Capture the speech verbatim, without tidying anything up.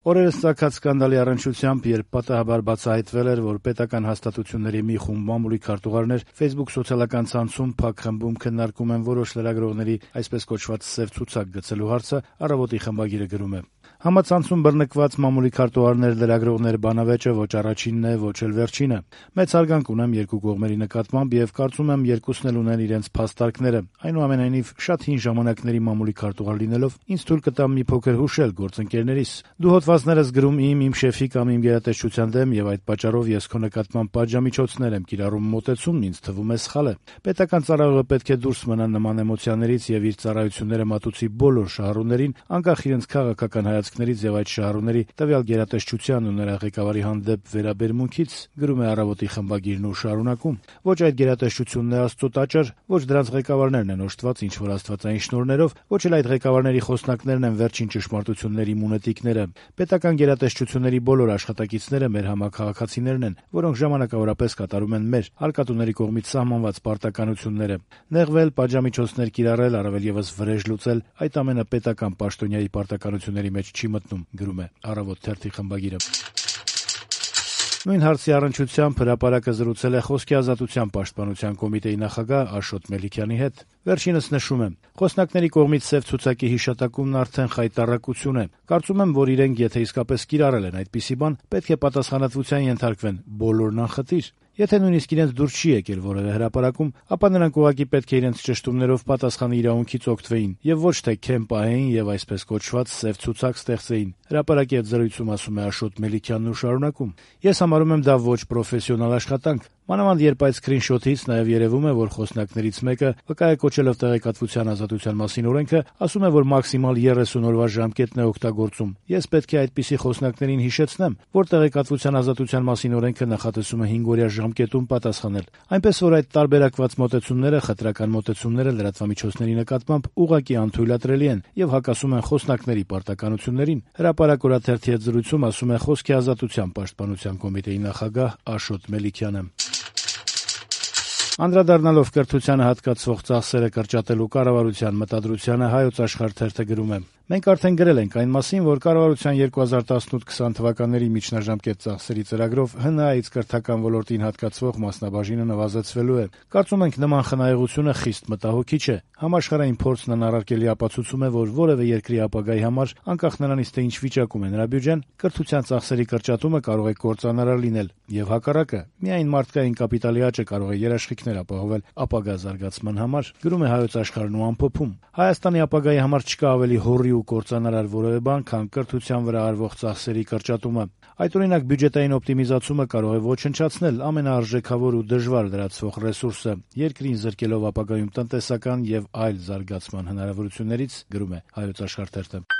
Օրերս ծագած սկանդալի առնչությամբ, երբ պատահաբար բացահայտվել էր, որ պետական հաստատությունների մի խումբ մամուլի քարտուղարներ Facebook սոցիալական ցանցում փակ խմբում քննարկում են որոշ լրագրողների այսպես կոչված «սև ցուցակ» գցելու հարցը, «Առավոտ»-ի խմբագիրը գրում է. Համացանցում բռնկված մամուլի քարտուղարներ լրագրողներ բանավեճը ոչ առաջինն է, ոչ էլ վերջինը։ Մեծ հարգանք ունեմ երկու կողմերի նկատմամբ եւ կարծում եմ երկուսն էլ ունեն իրենց փաստարկները։ Այնուամենայնիվ, շատ հին ժամանակների մամուլի քարտուղար լինելով, ինձ թույլ կտա մի փոքր հուշել գործընկերներիս։ Դու հոդվածներս գրում իմ, իմ շեֆի կամ իմ գերատեսչության դեմ եւ այդ պատճառով ես քո նկատմամբ պատժամիջոցներ եմ կիրառում մոտեցումն ինձ թվում է սխալ է։ Պետական ծառայողը պետք է դուրս մնա նման էմոցիաներից եւ իր ծառայությունները մատուցի բոլոր շահառուներին, անկախ իրենց քաղաքական հայացքներից եւ այդ շահառուների տվյալ գերատեսչության ու նրա ղեկավարի հանդեպ վերաբերմունքից, գրում է «Առավոտ»-ի խմբագիրն ու շարունակում. ոչ այդ գերատեսչությունն է Աստծո տաճար, ոչ դրանց ղեկավարներն են օժտված ինչ-որ աստվածային շնորհներով, ոչ էլ այդ ղեկավարների խոսնակներն են վերջին ճշմարտությունների մունետիկները։ Պետական գերատեսչությունների բոլոր աշխատակիցները մեր համաքաղաքացիներն են, որոնք ժամանակավորապես կատարում են մեր հարկատուների կողմից սահմանված պարտականությունները։ Նեղվել, պատժամիջոցներ կիրառել, առավել եւս վրեժ լուծել, այդ ամենը պետական պաշտոնյայի պարտականությունների մեջ չի մտնում, գրում է «Առավոտ» թերթի խմբագիրը։ Նույն հարցի առնչությամբ հրապարակը զրուցել է Խոսքի ազատության պաշտպանության կոմիտեի նախագահ Աշոտ Մելիքյանի հետ։ Վերջինս նշում է. խոսնակների կողմից «սև ցուցակի» հիշատակումն արդեն խայտառակություն է։ Կարծում եմ, որ իրենք եթե իսկապես կիրառել են այդպիսի բան, պետք է պատասխանատվության ենթարկվեն բոլորն անխտիր։ Եթե նույնիսկ իրենց դուր չի եկել որևէ հրապարակում, ապա նրանք ուղղակի պետք է իրենց ճշտումներով պատասխանի իրավունքից օգտվեին եւ ոչ թե քեմ պահեին եւ այսպես կոչված «սև ցուցակ» ստեղծեին։ Հրապարակի հետ զրույցում ասում է Աշոտ Մելիքյանն ու շարունակում. ես համարում եմ դա ոչ պրոֆեսիոնալ աշխատանք։ Մանավանդ երբ այդ սկրինշոթից նաեւ երևում է, որ խոսնակներից մեկը, վկայակոչելով տեղեկատվության ազատության մասին օրենքը, ասում է, որ մաքսիմալ երեսուն օրվա ժամկետն է օգտագործում։ Ես պետք է այդպիսի խոսնակներին հիշեցնեմ, որ տեղեկատվության ազատության մասին օրենքը նախատեսում է հինգ-օրյա ժամկետում պատասխանել։ Այնպես որ այդ տարբերակված մոտեցումները, խտրական մոտեցումները լրատվամիջոցների նկատմամբ ուղղակի անթույլատրելի են եւ հակասում են խոսնակների պարտականություններին։ Հրապարակ օրաթերթի հետ զրույցում ասում է Խոսքի ազատության պաշտպանության կոմիտեի նախագահ Աշոտ Մելիքյանը։ Անդրադառնալով կրթությանը հատկացվող ծախսերը կրճատելու կառավարության մտադրությանը Հայոց Աշխարհ թերթը գրում է. մենք արդեն գրել ենք այն մասին, որ կառավարության երկու հազար տասնութ քսան թվականների միջնաժամկետ ծախսերի ծրագրով ՀՆԱ-ից կրթական ոլորտին հատկացվող մասնաբաժինը նվազեցվելու է։ Կարծում ենք նման խնայողությունը խիստ մտահոգիչ է։ Համաշխարհային փորձն անառարկելի ապացուցում է, որ որևէ երկրի ապագայի համար, անկախ նրանից թե ինչ վիճակում է նրա բյուջեն, կրթության ծախսերի կրճատումը կարող է կործանարար լինել, եւ հակառակը, միայն մարդկային կապիտալի աճը կարող է երաշխիքներ ապահովել ապագա զարգացման համար, գրում է Հայոց Աշխարհն ու ամփոփում. Հայաստանի ապագայի համար չկա ավելի հոռի ու կործանարար որևէ բան, քան կրթության վրա արվող ծախսերի կրճատումը։ Այդօրինակ բյուջետային օպտիմիզացումը կարող է ոչնչացնել ամենաարժեքավոր ու դժվար լրացվող ռեսուրսը, երկրին զրկելով ապագայում տնտեսական եւ այլ զարգացման հնարավորություններից, գրում է Հայոց Աշխարհ թերթը։